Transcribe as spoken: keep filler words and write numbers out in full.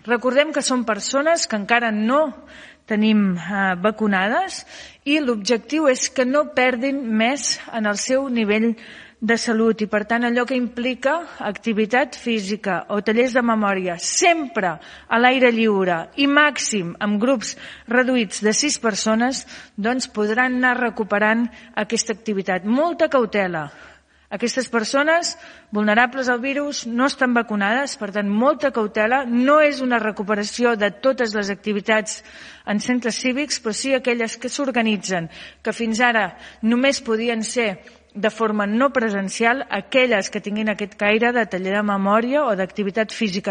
Recordem que són persones que encara no tenim eh, vacunades i l'objectiu és que no perdin més en el seu nivell de salut i, per tant, allò que implica activitat física o tallers de memòria sempre a l'aire lliure i màxim amb grups reduïts de sis persones, doncs podran anar recuperant aquesta activitat. Molta cautela. Aquestes persones vulnerables al virus no estan vacunades, per tant, molta cautela. No és una recuperació de totes les activitats en centres cívics, però sí aquelles que s'organitzen, que fins ara només podien ser de forma no presencial, aquelles que tinguin aquest caire de taller de memòria o d'activitat física